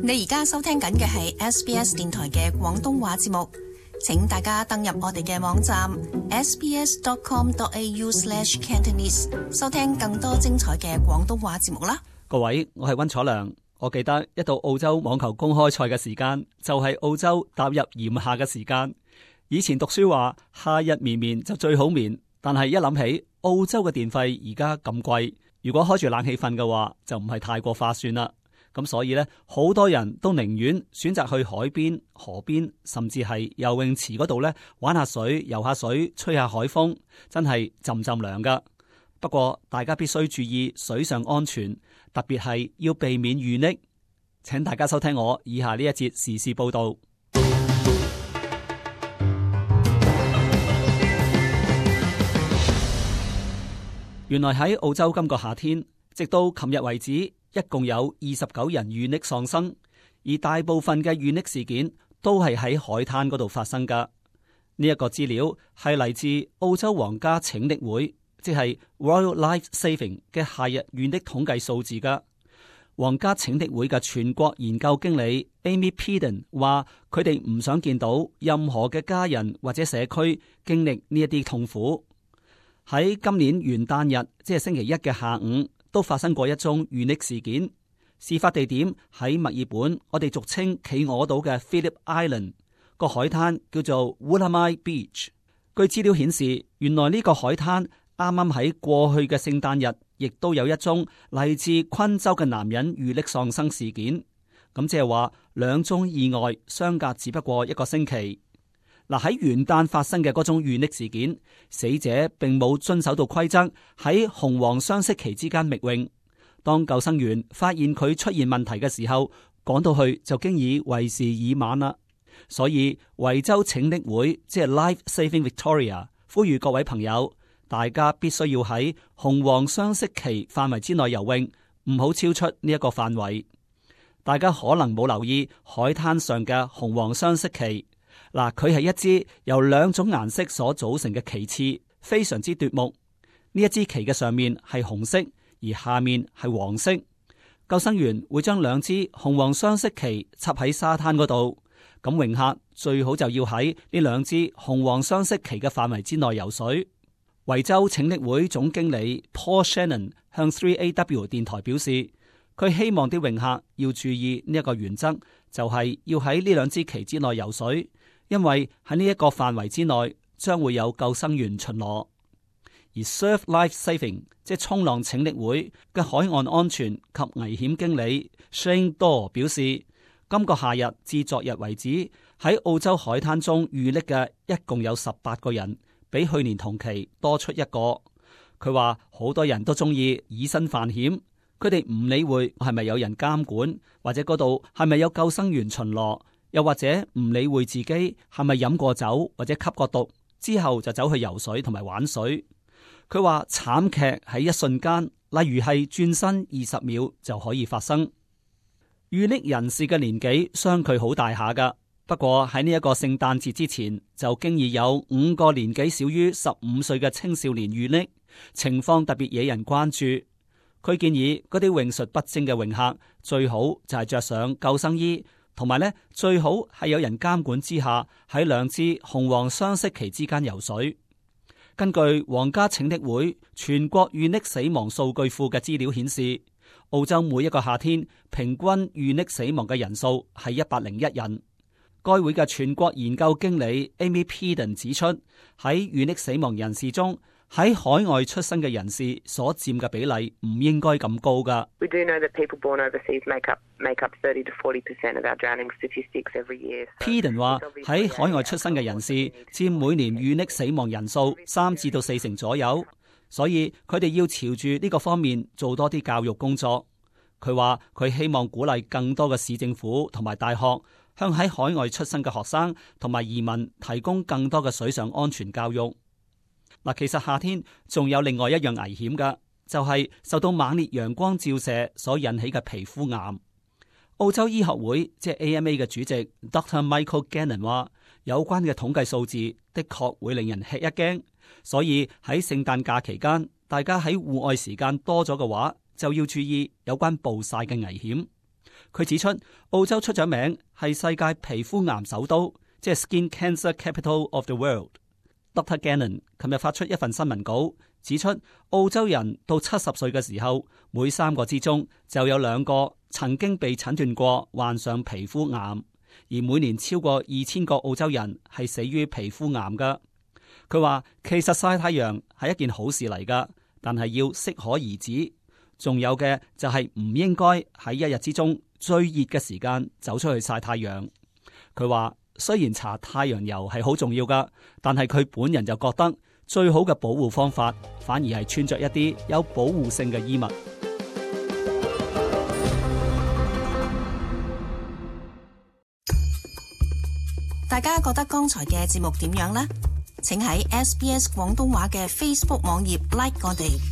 你而家收聽緊嘅係 SBS 電台嘅廣東話節目，請大家登入我哋嘅網站 sbs.com.au/cantonese 收聽更多精彩嘅廣東話節目啦。各位，我係溫楚良。我記得一到澳洲網球公開賽嘅時間，就係澳洲踏入炎夏嘅時間。以前讀書話夏日綿綿就最好眠，但係一諗起澳洲嘅電費而家咁貴，如果開住冷氣瞓嘅話，就唔係太過划算啦。咁所以呢，好多人都寧願選擇去海邊、河邊，甚至係游泳池嗰度呢玩下水、游下水、吹下海風，真係浸浸涼噶。不過大家必須注意水上安全，特別係要避免遇溺。請大家收聽我以下呢一節時事報道。原來喺澳洲今個夏天，直到琴日為止，一共有29人遇溺喪生，而大部分嘅遇溺事件都係喺海灘嗰度發生噶。呢一個資料係嚟自澳洲皇家拯溺會，即係 Royal Life Saving 嘅夏日遇溺統計數字噶。皇家拯溺會嘅全國研究經理 Amy Peden 話：佢哋唔想見到任何嘅家人或者社區經歷呢一啲痛苦。喺今年元旦日，即係星期一嘅下午，都發生過一宗遇溺事件。事發地點喺墨爾本，我哋俗稱企鵝島嘅 Phillip Island 個海灘叫做 Woolamai Beach。據資料顯示，原來呢個海灘啱啱喺過去嘅聖誕日，亦都有一宗嚟自昆州嘅男人遇溺喪生事件。咁即係話兩宗意外相隔只不過一個星期。嗱，喺元旦發生嘅嗰種遇溺事件，死者並冇遵守到規則，喺紅黃雙色旗之間覓泳。當救生員發現佢出現問題嘅時候，趕到去就經已為時已晚啦。所以維州拯溺會即係 Life Saving Victoria 呼籲各位朋友，大家必須要喺紅黃雙色旗範圍之內游泳，唔好超出呢一個範圍。大家可能冇留意海灘上嘅紅黃雙色旗。嗱，佢係一支由兩種顏色所組成嘅旗幟，非常之奪目。呢一支旗嘅上面係紅色，而下面係黃色。救生員會將兩支紅黃雙色旗插喺沙灘嗰度，咁泳客最好就要喺呢兩支紅黃雙色旗嘅範圍之內游水。維州拯溺會總經理 Paul Shannon 向 3AW 電台表示，佢希望啲泳客要注意呢一個原則，就係要喺呢兩支旗之內游水。因為喺呢一個範圍之內，將會有救生員巡邏。而 Surf Life Saving 即係衝浪拯溺會嘅海岸安全及危險經理 Shane Daw 表示，今個夏日至昨日為止，喺澳洲海灘中遇溺嘅一共有18個人，比去年同期多出一個。佢話好多人都中意以身犯險，佢哋唔理會係咪有人監管，或者嗰度係咪有救生員巡邏。又或者唔理會自己係咪飲過酒或者吸過毒之後就走去游水同埋玩水。佢話慘劇喺一瞬間，例如係轉身20秒就可以發生。遇溺人士嘅年紀相距好大下噶，不過喺呢一個聖誕節之前就經已有5個年紀少於15歲嘅青少年遇溺，情況特別惹人關注。佢建議嗰啲泳術不精嘅泳客最好就係着上救生衣。同埋咧，最好係有人監管之下，喺兩支紅黃雙色旗之間游水。根據皇家拯溺會全國遇溺死亡數據庫嘅資料顯示，澳洲每一個夏天平均遇溺死亡嘅人數係101人。該會嘅全國研究經理 Amy Peden 指出，喺遇溺死亡人士中，喺海外出生嘅人士所佔嘅比例唔應該咁高噶。We do know that people born overseas make up 30 to 40% of our drowning statistics every year. Peden 話喺海外出生嘅人士佔每年遇溺死亡人數3至到4成左右，所以佢哋要朝住呢個方面做多啲教育工作。佢話佢希望鼓勵更多嘅市政府同埋大學向喺海外出生嘅學生同埋移民提供更多嘅水上安全教育。嗱，其實夏天仲有另外一樣危險噶，就係受到猛烈陽光照射所引起嘅皮膚癌。澳洲醫學會即係 AMA 嘅主席 Dr. Michael Gannon 話，有關嘅統計數字的確會令人吃一驚，所以喺聖誕假期間，大家喺戶外時間多咗嘅話，就要注意有關暴曬嘅危險。佢指出，澳洲出咗名係世界皮膚癌首都，即係 Skin Cancer Capital of the World。Dr. Gannon 琴日發出一份新聞稿，指出澳洲人到70歲嘅時候，每3個之中就有2個曾經被診斷過患上皮膚癌，而每年超過2000個澳洲人係死於皮膚癌㗎。佢話其實曬太陽係一件好事嚟㗎，但係要適可而止。仲有嘅就係唔應該喺一日之中最熱嘅時間走出去曬太陽。佢話雖然搽太陽油係好重要㗎，但係佢本人就覺得最好嘅保護方法反而係穿着一啲有保護性嘅衣物。大家覺得剛才嘅節目點樣呢？請喺SBS 廣東話嘅 Facebook 網頁 like 我哋。